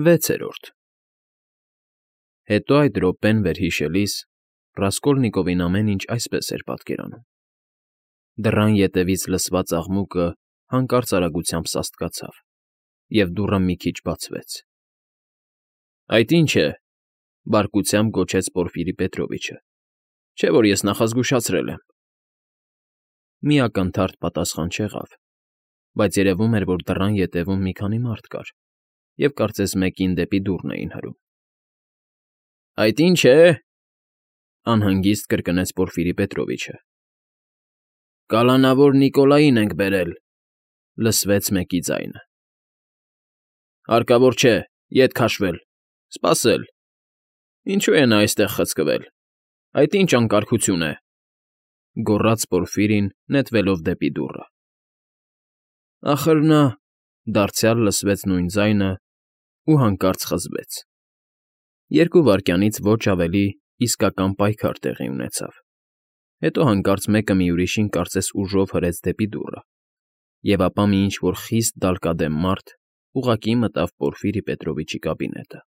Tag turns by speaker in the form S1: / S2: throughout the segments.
S1: 6-րդ Հետո այդ րոպեն վերհիշելիս Ռասկոլնիկովին ամեն ինչ այսպես էր պատկերանում. դռան ետևից լսված աղմուկը հանկարծ արագությամբ սաստկացավ, և դուռը մի քիչ բացվեց։ ֊ Այդ ի՞նչ է,֊ բարկությամբ գոչեց Պորֆիրի Պետրովիչը։֊ Չէ՞ որ ես նախազգուշացրել եմ։ Մի ակնթարթ պատասխան չեղավ, բայց երևում էր, որ դռան ետևում մի քանի մարդ կար, և կարծես մեկին դեպի դուռն էին հրում։ ֊ Այդ ի՞նչ է,֊ անհանգիստ կրկնեց Պորֆիրի Պետրովիչը։ ֊ Կալանավոր Նիկոլային ենք բերել,֊ լսվեց մեկի ձայնը։ ֊ Հարկավոր չէ, ետ քաշվել, սպասել։ Ինչո՞ւ է նա այստեղ խցկվել, այդ ի՞նչ անկարգություն է,֊ գոռաց Պորֆիրին, նետվելով դեպի դուռը։ Ախր նա,֊ դարձյալ լսվեց նույն ձայնը ու հանկարծ խզվեց։ 2 վայրկյանից ոչ ավելի իսկական պայքար տեղի ունեցավ, հետո հանկարծ մեկը մի ուրիշին կարծես ուժով հրեց դեպի դուռը, և ապա մի ինչ֊որ խիստ դալկադեմ մարդ ուղղակի մտավ Պորֆիրի Պետրովիչի կաբինետը։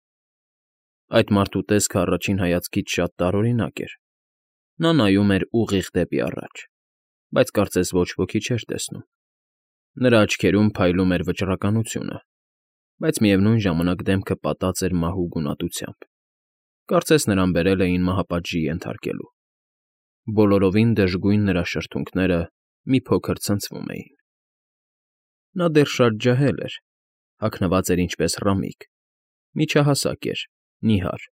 S1: Այդ մարդու տեսքը առաջին հայացքից շատ տարօրինակ էր. նա նայում էր ուղիղ դեպի առաջ, բայց կարծես ոչ ոքի չէր տեսնում։ Նրա աչքերում փայլում էր վճռականությունը, բայց միևնույն ժամանակ դեմքը պատած էր մահու գունատությամբ, կարծես նրան բերել էին մահապատժի ենթարկելու։ Բոլորովին դժգույն նրա շրթունքները մի փոքր ցնցվում էին։ Նա դեռ շատ ջահել էր, հագնված էր ինչպես ռամիկ, միջահասակ էր, նիհար,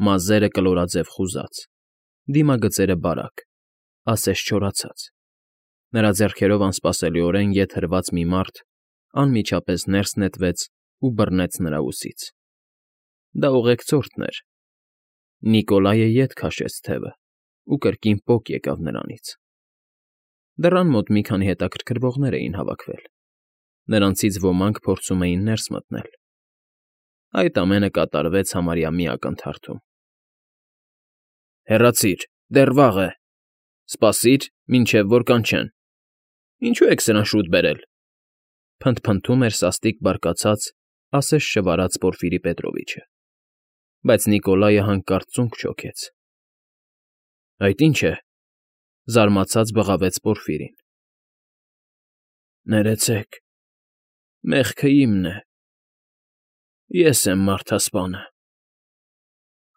S1: մազերը կլորաձև խուզած, դիմագծերը բարակ, ասես չորացած։ Նրա ձեռքերով անսպասելիորեն ետ հրված մի մարդ անմիջապես ներս նետվեց ու բռնեց նրա ուսից։ Դա ուղեկցորդն էր։ Նիկոլայը ետ քաշեց թևը ու կրկին պոկ եկավ նրանից։ Դռան մոտ մի քանի հետաքրքրվողներ էին հավաքվել։ Նրանցից ոմանք փորձում էին ներս մտնել։ Այդ ամենը կատարվեց համարյա մի ակնթարթում։ Հեռացիր, դեռ վաղ է, սպասիր, մինչև որ կանչեն։ Ինչո՞ւ եք սրան շուտ բերել,֊ փնթփնթում էր սաստիկ բարկացած, ասես շվարած Պորֆիրի Պետրովիչը, բայց Նիկոլայը հանկարծ ծունկ չոքեց։ ֊ Այդ ի՞նչ է,֊ զարմացած բղավեց Պորֆիրին։ ֊ Ներեցեք, մեղքը իմն է, ես եմ մարդասպանը,֊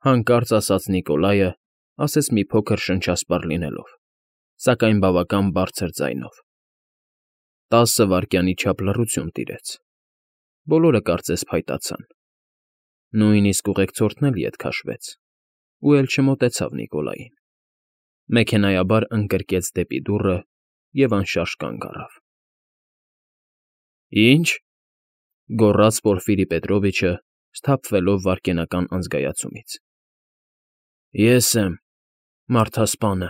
S1: հանկարծ ասաց Նիկոլայը, ասես մի փոքր շնչասպառ լինելով, սակայն բավական բարձր ձայնով։ 10 վայրկյանի չափ լռություն տիրեց։ Բոլորը կարծես փայտացան։ Նույնիսկ ուղեկցորդն էլ ետ քաշվեց ու էլ չմոտեցավ Նիկոլային։ Մեքենայաբար ընկրկեց դեպի դուռը և անշարժ կանգ առավ։ ֊ Ի՞նչ,֊ գոռաց Պորֆիրի Պետրովիչը, սթափվելով վայրկենական անզգայացումից։ ֊ Ես եմ մարդասպանը,֊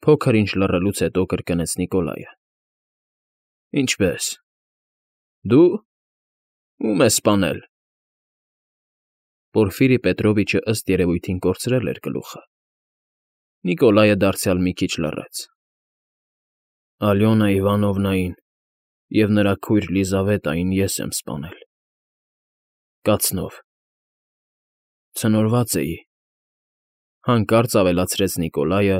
S1: փոքր-ինչ լռելուց հետո կրկնեց Նիկոլայը։ ֊ Ինչպե՞ս, դու… Ո՞ւմ ես սպանել։ Պորֆիրի Պետրովիչը ըստ երևույթին կորցրել էր գլուխը։ Նիկոլայը դարձյալ մի քիչ լռեց։ ֊ Ալյոնա Իվանովնային և նրա քույր Լիզավետային ես եմ սպանել… կացնով… ցնորված էի,֊ հանկարծ ավելացրեց Նիկոլայը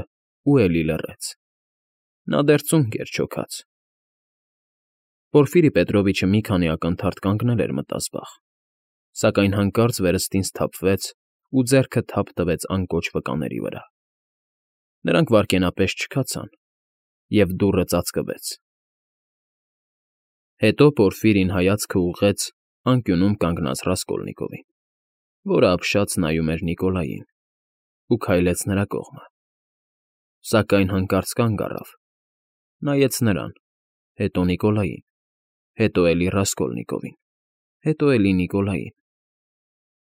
S1: ու էլի լռեց։ Նա դեռ ծունկ էր չոքած։ Պորֆիրի Պետրովիչը մի քանի ակնթարթ կանգնել էր մտազբաղ, սակայն հանկարծ վերստին սթափվեց ու ձեռքը թափ տվեց անկոչ վկաների վրա։ Նրանք վայրկենապես չքացան, և դուռը ծածկվեց։ Հետո Պորֆիրին հայացքը ուղղեց անկյունում կանգնած Ռասկոլնիկովին, որը ապշած նայում էր Նիկոլային, ու քայլեց նրա կողմը։ Սակայն հանկարծ կանգ առավ, նայեց նրան, հետո Նիկոլային, հետո էլի Ռասկոլնիկովին, հետո էլի Նիկոլային,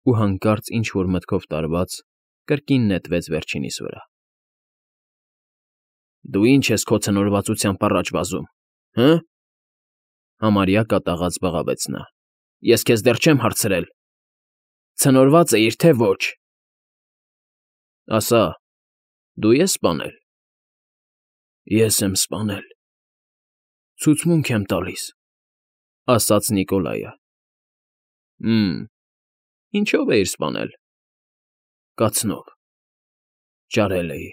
S1: ու հանկարծ ինչ֊որ մտքով տարված, կրկին նետվեց վերջինիս վրա։ ֊ Դու ի՞նչ ես քո ցնորվածությամբ առաջ վազում, հը՛,֊ համարյա կատաղած բղավեց նա։֊ Ես քեզ դեռ չեմ հարցրել… Ցնորված էիր, թե ոչ… Ասա, դու ե՞ս սպանել։ ֊ Ես եմ սպանել… Ցուցմունք եմ տալիս,֊ ասաց Նիկոլայը։ Ինչո՞վ էիր սպանել։ Կացնով։ Ճարել էի։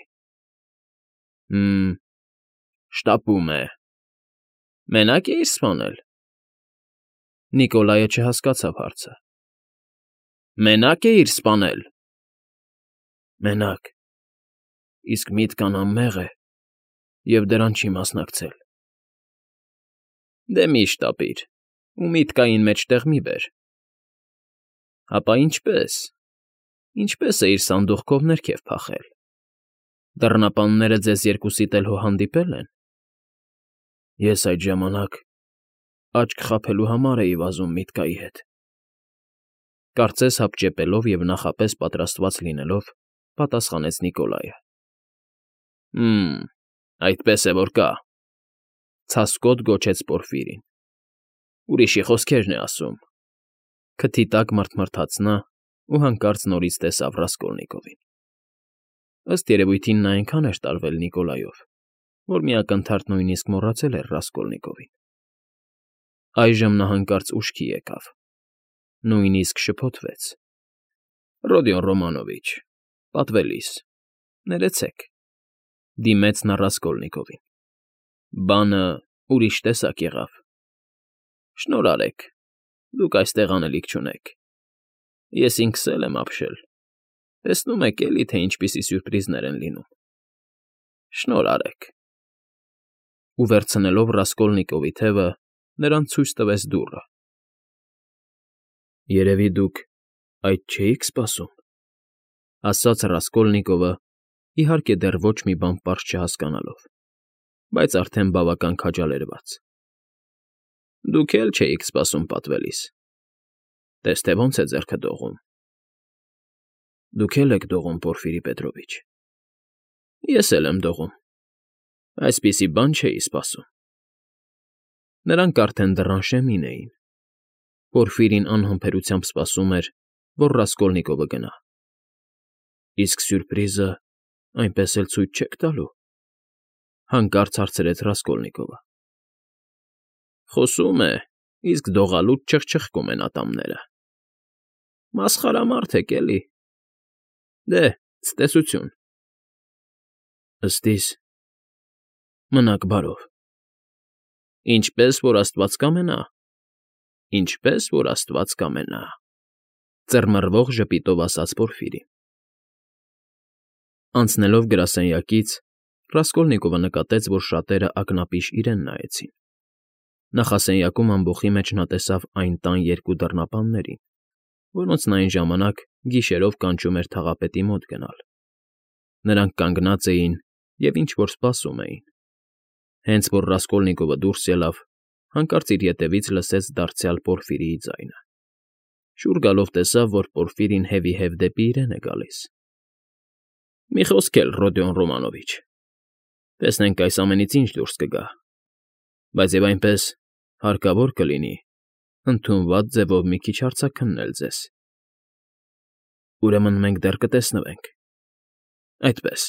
S1: Շտապում է։ Մենակ էիր սպանել։ Նիկոլայը չհասկացավ հարցը։ Մենակ էիր սպանել։ Մենակ։ Իսկ միտքն անմեղ է և դրան չի մասնակցել։ Դե մի շտապիր ու միտքային մեջտեղ մի բեր։ Հապա ինչպես էիր սանդուղքով ներքև փախել։ Դռնապանները ձեզ երկուսիդ էլ հո հանդիպել են։ Ես այդ ժամանակ աչք խաբելու համար էի վազում միտկայի հետ։ Կարծես հապճեպելով և նախապես պատրաստված լինելով, պատասխանեց Նիկոլայը։ Այդպես է որ կա,֊ ցասկոտ գոչեց Պորֆիրին։ Ուրիշի խոսքերն է ասում։ Քթի տակ մռթմռթաց նա ու հանկարծ նորից տեսավ Ռասկոլնիկովին։ Ըստ երևույթին նա այնքան էր տարվել Նիկոլայով, որ մի ակնթարթ նույնիսկ մոռացել էր Ռասկոլնիկովին։ Այժմ նա հանկարծ ուշքի եկավ, նույնիսկ շփոթվեց։ Ռոդիոն Ռոմանովիչ, պատվելիս, ներեցեք,֊ դիմեց նա Ռասկոլնիկովին։ Բանը ուրիշ տեսակ եղավ։ Շնորհ արեք, դուք այստեղ անելիք չունեք։ Ես ինքս էլ եմ ապշել։ Տեսնում եք էլի, թե ինչպիսի սյուրպրիզներ են լինում։ Շնորհ արեք։ Ու վերցնելով Ռասկոլնիկովի թևը, նրան ցույց տվեց դուռը։ Երևի դուք այդ չէիք սպասում,֊ ասաց Ռասկոլնիկովը, իհարկե դեռ ոչ մի բան պարզ չհասկանալով, բայց արդեն բավական քաջալերված։ Դուք էլ չէիք սպասում, պատվելիս։ Տես թե ոնց է ձեռքը դողում։ Դուք էլ եք դողում, Պորֆիրի Պետրովիչ։ Ես էլ եմ դողում։ Այսպիսի բան չէի սպասում։ Նրանք արդեն դռան շեմին էին։ Պորֆիրին անհամբերությամբ սպասում էր, որ Ռասկոլնիկովը գնա։ Իսկ սյուրպրիզը այնպես էլ ցույց չեք տալու,֊ հանկարծ հարցրեց Ռասկոլնիկովը։ Խոսում է, իսկ դողալուց չխչխկում են ատամները։ Մասխարամարդ եք էլի։ Դե, ցտեսություն։ Ըստ իս, մնաք բարով։ Ինչպես որ աստված կամենա։ Ինչպես որ աստված կամենա,֊ ծռմռվող ժպիտով ասաց Պորֆիրին։ Անցնելով գրասենյակից, Ռասկոլնիկովը նկատեց, որ շատերը ակնապիշ իրեն նայեցին։ Նախասենյակում ամբոխի մեջ նա տեսավ այն տան երկու դռնապաններին, որոնց նա այն ժամանակ գիշերով կանչում էր թաղապետի մոտ գնալ։ Նրանք կանգնած էին և ինչ֊որ սպասում էին։ Հենց որ Ռասկոլնիկովը դուրս ելավ, հանկարծ իր ետևից լսեց դարձյալ Պորֆիրիի ձայնը։ Շուռ գալով տեսավ, որ Պորֆիրին հևիհև դեպի իրեն է գալիս։ Մի խոսք էլ, Ռոդիոն Ռոմանովիչ, տեսնենք այս ամենից ինչ դուրս կգա, բայց և այնպես հարկավոր կլինի ընդունված ձևով մի քիչ հարցաքննել ձեզ։ Ուրեմն մենք դեռ կտեսնվենք։ Այդպես։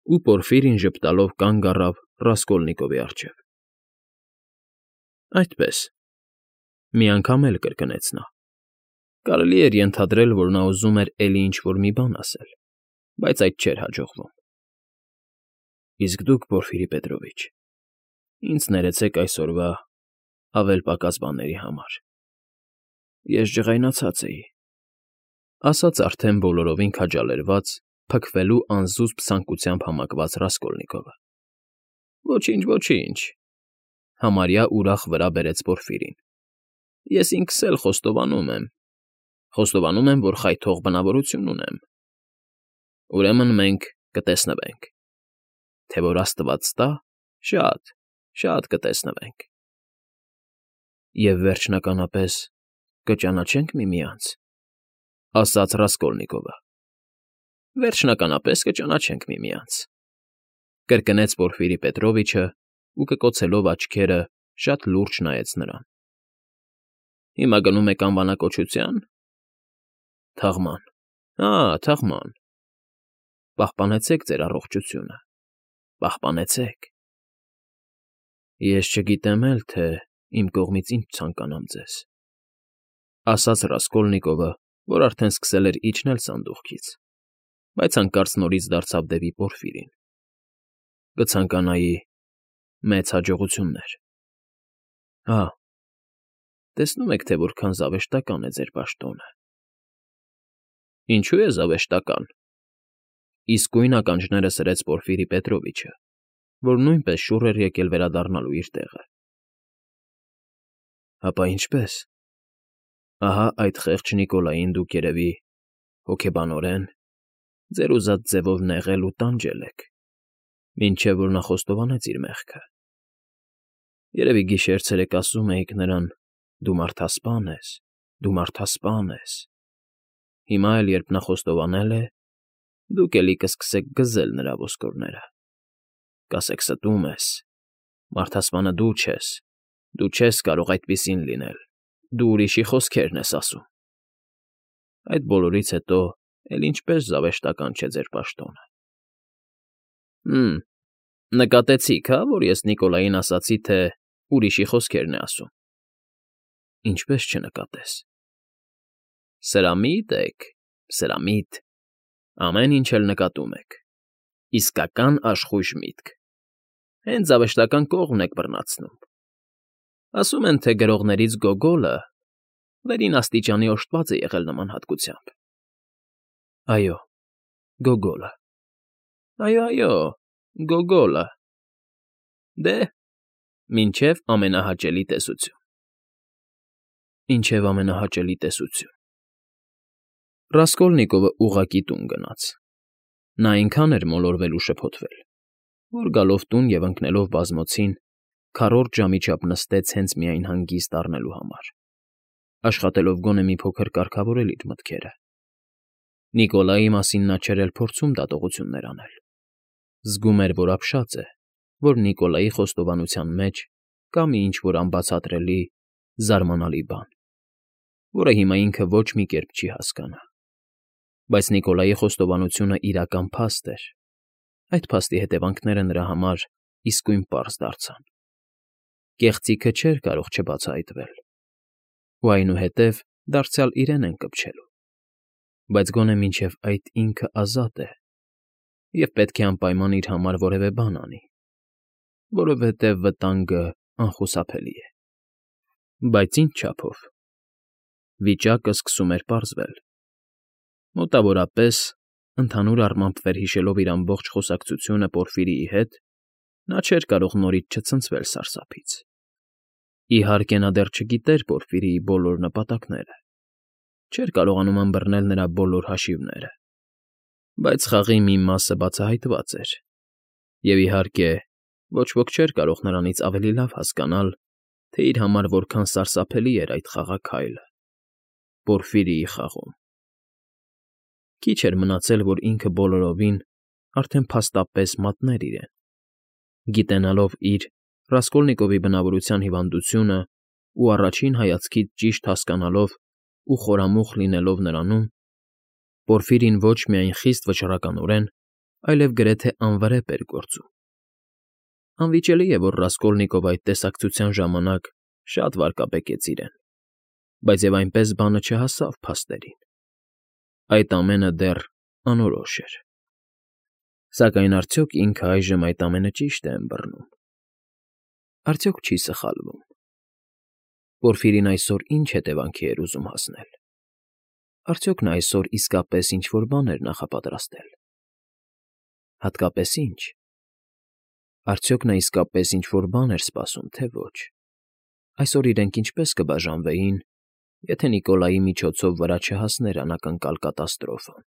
S1: Ու Պորֆիրին ժպտալով կանգ առավ Ռասկոլնիկովի առջև։ Այդպես,֊ մի անգամ էլ կրկնեց նա։ Կարելի էր ենթադրել, որ նա ուզում էր էլի ինչ֊որ մի բան ասել, բայց այդ չէր հաջողվում։ Իսկ դուք, Պորֆիրի Պետրովիչ, ինձ ներեցեք այսօրվա ավել֊պակաս բաների համար։ Ես ջղայնացած էի,֊ ասաց արդեն բոլորովին քաջալերված, փքվելու անզուսպ ցանկությամբ համակված Ռասկոլնիկովը։ Ոչինչ, ոչինչ,֊ համարյա ուրախ վրա բերեց Պորֆիրին։ Ես ինքս էլ խոստովանում եմ։ Խոստովանում եմ, որ խայթող բնավորություն ունեմ։ Ուրեմն մենք կտեսնվենք։ Թե որ աստված տա, շատ կտեսնվենք։ Եվ վերջնականապես կճանաչե՞նք միմյանց,֊ ասաց Ռասկոլնիկովը։ Վերջնականապես կճանաչենք միմյանց,֊ կրկնեց Պորֆիրի Պետրովիչը ու կկոցելով աչքերը շատ լուրջ նայեց նրան։ Հիմա գնում եք անվանակոչությա՞ն։ Թաղման։ Թաղման։ Պահպանեցեք ձեր առողջությունը, պահպանեցեք։ Ես չգիտեմ էլ, թե իմ կողմից ինչ ցանկանամ ձեզ։ ասաց Ռասկոլնիկովը, որ արդեն սկսել էր իջնել սանդուղքից, բայց հանկարծ նորից դարձավ դեպի Պորֆիրին։ Կցանկանայի մեծ հաջողություններ։ Հա, տեսնում եք, թե որքան զավեշտական է ձեր պաշտոնը։ Ինչու է զավեշտական։ Իսկույն ականջները սրեց Պորֆիրի Պետրովիչը, որ նույնպես շուռ էր եկել վերադառնալու իր տեղը։ Հապա ինչպես։ Ահա այդ խեղճ Նիկոլային դուք երևի հոգեբանորեն ձեր ուզած ձևով նեղել ու տանջել եք, մինչև որ նա խոստովանեց իր մեղքը։ Երևի գիշեր-ցերեկ ասում էիք նրան. «Դու մարդասպան ես, դու մարդասպան ես»։ Հիմա էլ, երբ նա խոստովանել է, դուք էլի կսկսեք գզել նրա ոսկորները։ Կասեք ստում ես, մարդասպանը դու չես կարող այդպիսին լինել, դու ուրիշի խոսքերն ես ասում։ Այդ բոլորից հետո էլ ինչպես զավեշտական չէ ձեր պաշտոնը։ Նկատեցիք, հա, որ ես Նիկոլային ասացի, թե ուրիշի խոսքերն է ասում։ Ինչպես չնկատես։ Սրամիտ եք, սրամիտ, ամեն ինչ էլ նկատում եք։ Իսկական աշխույժ միտք։ Հենց զավեշտական կողմն եք բռնացնում։ Ասում են, թե գրողներից Գոգոլը վերին աստիճանի օժտված է եղել նման հատկությամբ։ Այո, Գոգոլը։ Այո, Գոգոլը։ Դե, մինչև ամենահաճելի տեսություն։ Ինչև ամենահաճելի տեսություն։ Ռասկոլնիկովը ուղղակի տուն գնաց։ Նա այնքան էր մոլորվել ու շփոթվել, որ գալով տուն և ընկնելով բազմոցին, քառորդ ժամի չափ նստեց հենց միայն հանգիստ առնելու համար, աշխատելով գոնե մի փոքր կարգավորել իր մտքերը։ Նիկոլայի մասին նա չէր էլ փորձում դատողություններ անել։ Զգում էր, որ ապշած է, որ Նիկոլայի խոստովանության մեջ կա մի ինչ֊որ անբացատրելի, զարմանալի բան, որը հիմա ինքը ոչ մի կերպ չի հասկանա։ Բայց Նիկոլայի խոստովանությունը իրական փաստ էր։ Այդ փաստի հետևանքները նրա համար իսկույն պարզ դարձան։ Կեղծիքը չէր կարող չբացահայտվել, ու այնուհետև դարձյալ իրեն են կպչելու։ Բայց գոնե մինչև այդ ինքը ազատ է և պետք է անպայման իր համար որևէ բան անի, որովհետև վտանգը անխուսափելի է։ Բայց ինչ չափով։ Վիճակը սկսում էր պարզվել։ Մոտավորապես, ընդհանուր առմամբ վերհիշելով իր ամբողջ խոսակցությունը Պորֆիրիի հետ, նա չէր կարող նորից չցնցվել սարսափից։ Իհարկե, նա դեռ չգիտեր Պորֆիրիի բոլոր նպատակները, չէր կարողանում ըմբռնել նրա բոլոր հաշիվները, բայց խաղի մի մասը բացահայտված էր, և, իհարկե, ոչ ոք չէր կարող նրանից ավելի լավ հասկանալ, թե իր համար որքան սարսափելի էր այդ խաղաքայլը՝ Պորֆիրիի խաղում։ Քիչ էր մնացել, որ ինքը բոլորովին արդեն փաստապես մատներ իրեն, գիտենալով իր Ռասկոլնիկովի բնավորության հիվանդությունն ու առաջին հայացքից ճիշտ հասկանալով ու խորամուխ լինելով նրանում, Պորֆիրին ոչ միայն խիստ վճռականորեն, այլև գրեթե անվրեպ էր գործում։ Անվիճելի է, որ Ռասկոլնիկովը այդ տեսակցության ժամանակ շատ վարկաբեկեց իրեն, բայց և այնպես բանը չհասավ փաստերին։ Այդ ամենը դեռ անորոշ էր։ Սակայն արդյոք ինքը այժմ այդ ամենը ճիշտ է ըմբռնում։ Արդյոք չի սխալվում։ Պորֆիրին այսօր ինչ հետևանքի էր ուզում հասնել։ Արդյոք նա այսօր իսկապես ինչ֊որ բան էր նախապատրաստել։ Հատկապես ի՞նչ։ Արդյոք նա իսկապես ինչ֊որ բան էր սպասում, թե ոչ։ Այսօր իրենք ինչպես կբաժանվեին, եթե Նիկոլայի միջոցով վրա չհասներ անակնկալ կատաստրոֆան։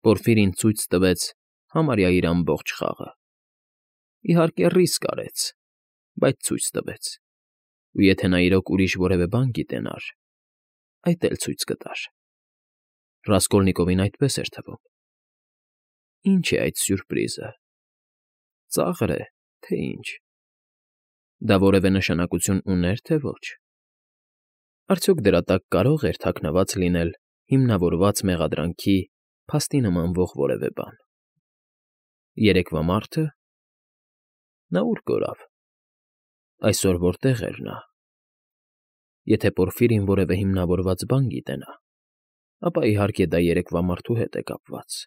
S1: Պորֆիրին ցույց տվեց համարյա իր ամբողջ խաղը։ Իհարկե, ռիսկ արեց, բայց ցույց տվեց։ Ու եթե նա իրոք ուրիշ որևէ բան գիտենար, այդ էլ ցույց կտար։ Ռասկոլնիկովին այդպես էր թվում։ Ինչ է այդ սյուրպրիզը։ Ծա՞ղր է, թե ինչ։ Դա որևէ նշանակություն ուներ, թե ոչ։ Արդյոք դրա տակ կարող էր թաքնված լինել հիմնավորված մեղադրանքի փաստի նմանվող որևէ բան։ Երեկվա մարդը։ Նա ուր կորավ։ Այսօր որտեղ էր նա։ Եթե Պորֆիրին որևէ հիմնավորված բան գիտենա, ապա իհարկե դա երեկվա մարդու հետ է կապված։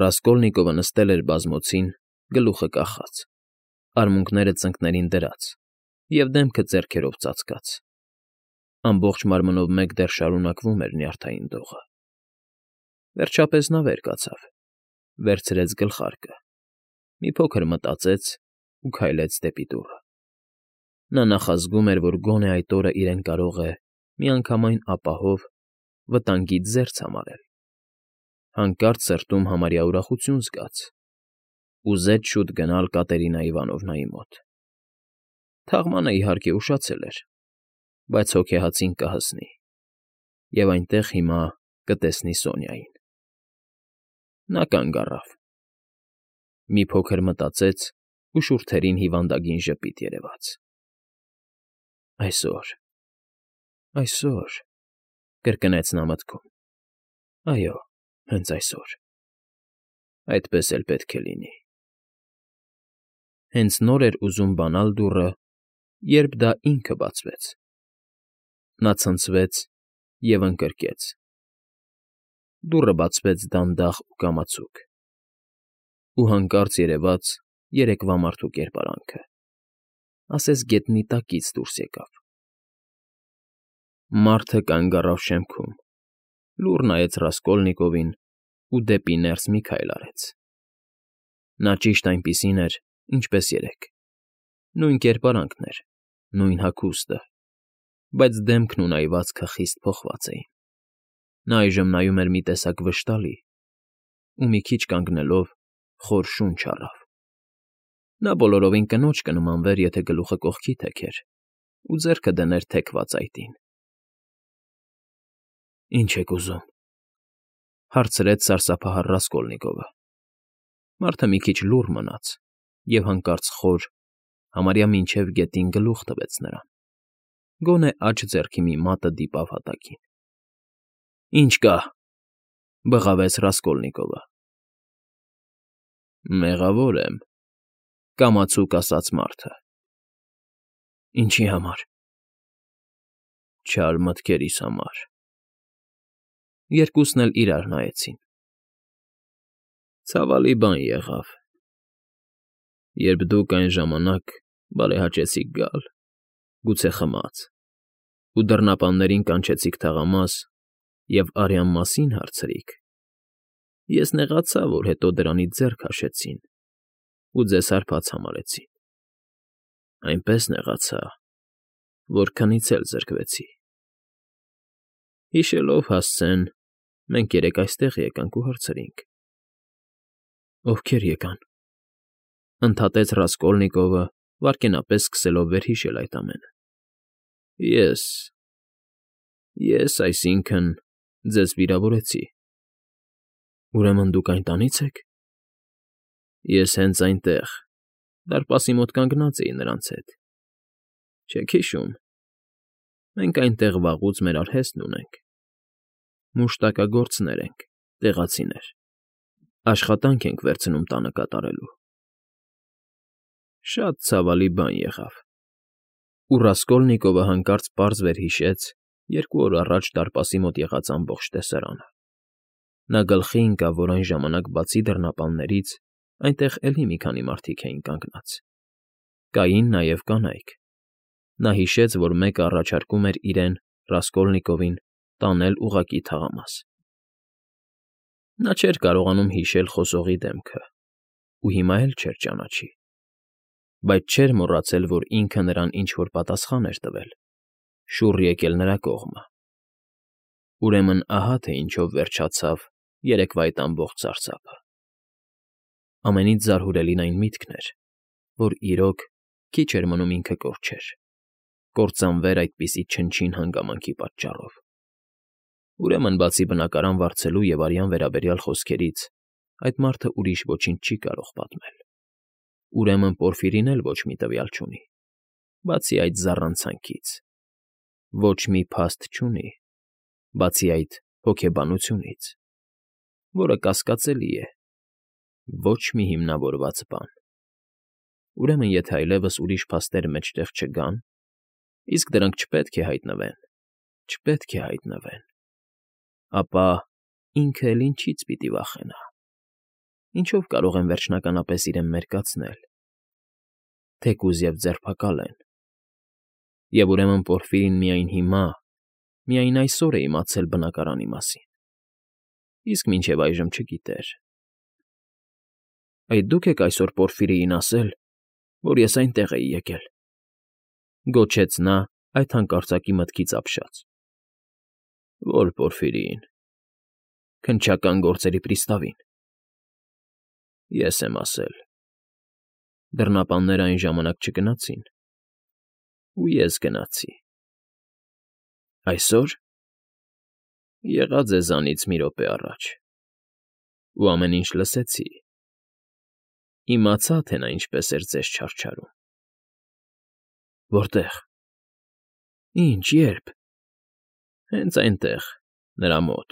S1: Ռասկոլնիկովը նստել էր բազմոցին, գլուխը կախած, արմունկները ծնկներին դրած և դեմքը ձեռքերով ծածկած։ Ամբողջ մարմնով մեկտեղ շարունակվում էր նյարդային դողը։ Վերջապես նա վեր կացավ, վերցրեց գլխարկը, մի փոքր մտածեց ու քայլեց դեպի դուռը։ Նա նախազգում էր, որ գոնե այդ օրը իրեն կարող է միանգամայն ապահով վտանգից զերծ համարել։ Հանկարծ սրտում համարյա ուրախություն զգաց, ուզեց շուտ գնալ Կատերինա Իվանովնայի մոտ։ Թաղմանը իհարկե ուշացել էր, բայց հոգեհացին կհասնի, և այնտեղ հիմա կտեսնի Սոնյային։ Նա կանգ առավ, մի փոքր մտածեց ու շուրթերին հիվանդագին ժպիտ երևաց։ Այսօր, կրկնեց նա մտքում, այո, հենց այսօր, այդպես էլ պետք է լինի։ Հենց նոր էր ուզում բանալ դուռը, երբ դա ինքը բացվեց։ Նա ցնցվեց և ընկրկեց։ Դուռը բացվեց դանդաղ ու կամացուկ, ու հանկարծ երևաց երեկվա մարդու կերպարանքը, ասես գետնի տակից դուրս եկավ։ Մարդը կանգ առավ շեմքում, լուռ նայեց Ռասկոլնիկովին ու դեպի ներս մի քայլ արեց։ Նա ճիշտ այնպիսին էր, ինչպես երեկ, նույն կերպարանքն էր, նույն հագուստը, բայց դեմքն ու նայվածքը խիստ փոխված էին։ Նա այժմ նայում էր մի տեսակ վշտալի ու մի քիչ կանգնելով խոր շունչ առավ։ Նա բոլորովին կնոջ կնմանվեր, եթե գլուխը կողքի թեքեր ու ձեռքը դներ թեքված այտին։ Ինչ եք ուզում,֊ հարցրեց սարսափահար Ռասկոլնիկովը։ Մարդը մի քիչ լուռ մնաց և հանկարծ խոր, համարյա մինչև գետին գլուխ տվեց նրան, գոնե աջ ձեռքի մի մատը դիպավ հատակին։ Ինչ կա,֊ բղավեց Ռասկոլնիկովը։ Մեղավոր եմ,֊ կամացուկ ասաց մարդը։ Ինչի համար։ Չար մտքերիս համար։ Երկուսն էլ իրար նայեցին։ Ցավալի բան եղավ։ Երբ դուք այն ժամանակ բարեհաճեցիք գալ, գուցե խմած, ու դռնապաններին կանչեցիք թաղամաս և արյան մասին հարցրիք, ես նեղացա, որ հետո դրանից ձեռ քաշեցին ու ձեզ հարբած համարեցին։ Այնպես նեղացա, որ քնից էլ զրկվեցի։ Հիշելով հասցեն, մենք երեկ այստեղ եկանք ու հարցրինք։ Ովքեր եկան,֊ ընդհատեց Ռասկոլնիկովը, վայրկենապես սկսելով վերհիշել այդ ամենը։ Ես, այսինքն, ձեզ վիրավորեցի։ Ուրեմն դուք այն տանից եք։ Ես հենց այնտեղ, դարպասի մոտ կանգնած էի նրանց հետ։ Չեք հիշում, մենք այնտեղ վաղուց մեր արհեստն ունենք։ Մուշտակագործներ ենք, տեղացիներ, աշխատանք ենք վերցնում տանը կատարելու։ Շատ ցավալի բան եղավ։ Ու Ռասկոլնիկովը հանկարծ պարզ վերհիշեց 2 օր առաջ դարպասի մոտ եղած ամբողջ տեսարանը։ Նա գլխի ընկավ, որ այն ժամանակ բացի դռնապաններից այնտեղ էլի մի քանի մարդիկ էին կանգնած։ Կային նաև կանայք։ Նա հիշեց, որ մեկը առաջարկում էր իրեն, Ռասկոլնիկովին, տանել ուղղակի թաղամաս։ Նա չէր կարողանում հիշել խոսողի դեմքը ու հիմա էլ չէր ճանաչի, բայց չէր մոռացել, որ ինքը նրան ինչ֊որ պատասխան էր տվել, շուռ եկել նրա կողմը։ Ուրեմն ահա թե ինչով վերջացավ երեկվա այդ ամբողջ սարսափը։ Ամենից զարհուրելին այն միտքն էր, որ իրոք քիչ էր մնում ինքը կորչեր, կործանվեր այդպիսի չնչին հանգամանքի պատճառով։ Ուրեմն բացի բնակարան վարձելու և արյան վերաբերյալ խոսքերից, այդ մարդը ուրիշ ոչինչ չի կարող պատմել։ Ուրեմն Պորֆիրին էլ ոչ մի տվյալ չունի, բացի այդ զառանցանքից, ոչ մի փաստ չունի, բացի այդ հոգեբանությունից, որը կասկածելի է, ոչ մի հիմնավորված բան։ Ուրեմն եթե այլևս ուրիշ փաստեր մեջտեղ չգան, իսկ դրանք չպետք է հայտնվեն, չպետք է հայտնվեն, ապա ինքը էլ ինչի՞ց պիտի վախենա, ինչով կարող են վերջնականապես իրեն մերկացնել, թեկուզ և ձերբակալեն, և ուրեմն Պորֆիրին միայն հիմա, միայն այսօր է իմացել բնակարանի մասին, իսկ մինչև այժմ չգիտեր։ ֊ Այդ դուք եք այսօր Պորֆիրիին ասել, որ ես այնտեղ էի եկել,֊ գոչեց նա այդ հանկարծակի մտքից ապշած։ ֊ Ո՞ր Պորֆիրիին։ ֊ Քննչական գործերի պրիստավին։ ֊ Ես եմ ասել։ Դռնապանները այն ժամանակ չգնացին, ու ես գնացի։ ֊ Այսօր։ ֊ Եղա ձեզանից մի րոպե առաջ, ու ամեն ինչ լսեցի, իմացա, թե նա ինչպես էր ձեզ չարչարում։ ֊ Որտե՞ղ։ ֊ Ի՞նչ, ե՞րբ։ ֊ Հենց այնտեղ, նրա մոտ,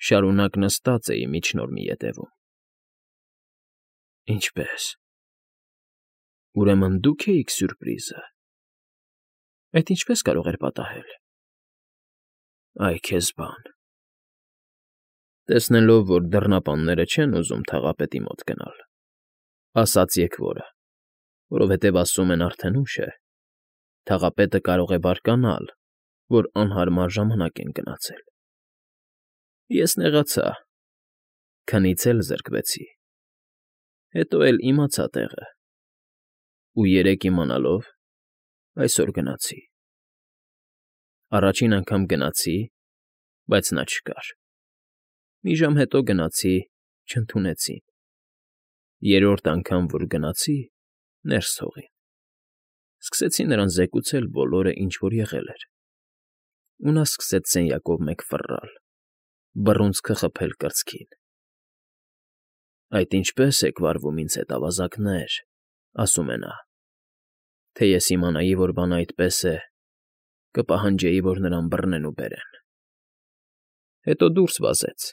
S1: շարունակ նստած էի միջնորմի ետևում։ ֊ Ինչպե՞ս։ ֊ Ուրեմն դուք էիք սյուրպրիզը։ Այդ ինչպե՞ս կարող էր պատահել։ ֊ Այ քեզ բան։ Տեսնելով, որ դռնապանները չեն ուզում թաղապետի մոտ գնալ, ասաց եկվորը, որովհետև ասում են արդեն ուշ է, թաղապետը կարող է բարկանալ, որ անհարմար ժամանակ են գնացել։ Ես նեղացա, քնից էլ զրկվեցի, հետո էլ իմացա տեղը, ու երեկ իմանալով, այսօր գնացի։ Առաջին անգամ գնացի, բայց նա չկար։ Մի ժամ հետո գնացի, չընդունեցին։ Երրորդ անգամ, որ գնացի, ներս թողին։ Սկսեցի նրան զեկուցել բոլորը, ինչ որ եղել էր, ու նա սկսեց սենյակով մեկ ֆռռալ, բռունցքը խփել կրծքին։ Այդ ինչպե՞ս եք վարվում ինձ հետ, ավազակներ, ասում է նա, թե ես իմանայի, որ բանը այդպես է, կպահանջեի, որ նրան բռնեն ու բերեն։ Հետո դուրս վազեց,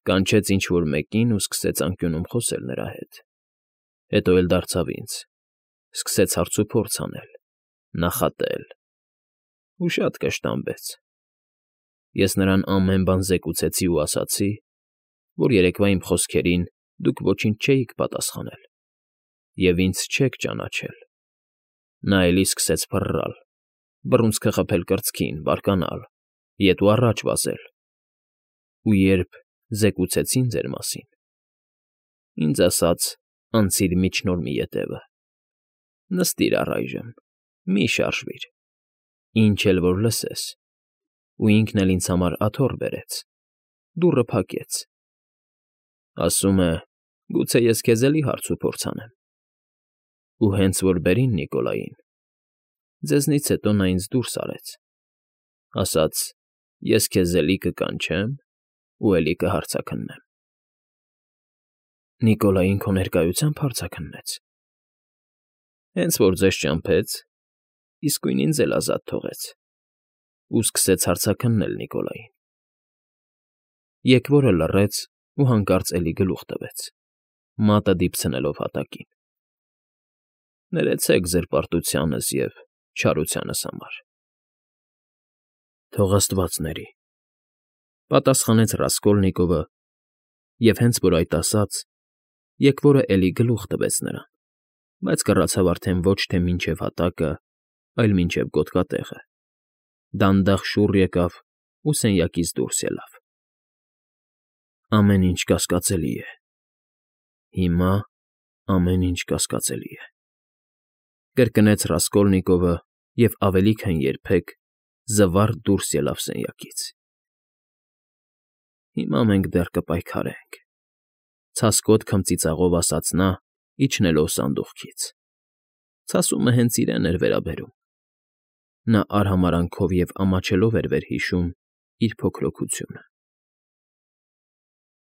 S1: կանչեց ինչ֊որ մեկին ու սկսեց անկյունում խոսել նրա հետ, հետո էլ դարձավ ինձ, սկսեց հարցուփորձ անել, նախատել, ու շատ կշտամբեց։ Ես նրան ամեն բան զեկուցեցի ու ասացի, որ երեկվա իմ խոսքերին դուք ոչինչ չէիք պատասխանել և ինձ չեք ճանաչել։ Նա էլի սկսեց ֆռռալ, բռունցքը խփել կրծքին, բարկանալ, ետ ու առաջ վազել, ու երբ զեկուցեցին ձեր մասին, ինձ ասաց անցիր միջնորմի ետևը, նստիր առայժմ, մի շարժվիր, ինչ էլ որ լսես, ու ինքն էլ ինձ համար աթոռ բերեց, դուռը փակեց, ասում է, գուցե ես քեզ էլի հարցուփորձ անեմ։ Ու հենց որ բերին Նիկոլային, ձեզնից հետո նա ինձ դուրս արեց, ասաց. ես քեզ էլի կկանչեմ ու էլի կհարցաքննեմ։ ֊ Նիկոլային քո ներկայությամբ հարցաքննեց։ ֊ Հենց որ ձեզ ճամփեց, իսկույն ինձ էլ ազատ թողեց ու սկսեց հարցաքննել Նիկոլային։ Եկվորը լռեց ու հանկարծ էլի գլուխ տվեց, մատը դիպցնելով հատակին։ ֊ Ներեցեք զրպարտությանս և չարությանս համար։ ֊ Թող աստված ների,֊ պատասխանեց Ռասկոլնիկովը, և հենց որ այդ ասաց, եկվորը էլի գլուխ տվեց նրան, բայց կռացավ արդեն ոչ թե մինչև հատակը, այլ մինչև գոտկատեղը, դանդաղ շուռ եկավ ու սենյակից դուրս ելավ։ Ամեն ինչ կասկածելի է, հիմա ամեն ինչ կասկածելի է,֊ կրկնեց Ռասկոլնիկովը և ավելի քան երբեք զվարթ դուրս ելավ սենյակից։ Հիմա մենք դեռ կպայքարենք,֊ ցասկոտ քմծիծաղով ասաց նա, իջնելով սանդուղքից։ Ցասումը հենց իրեն էր վերաբերում։ Նա արհամարհանքով և ամաչելով էր վերհիշում իր փոքրօգությունը։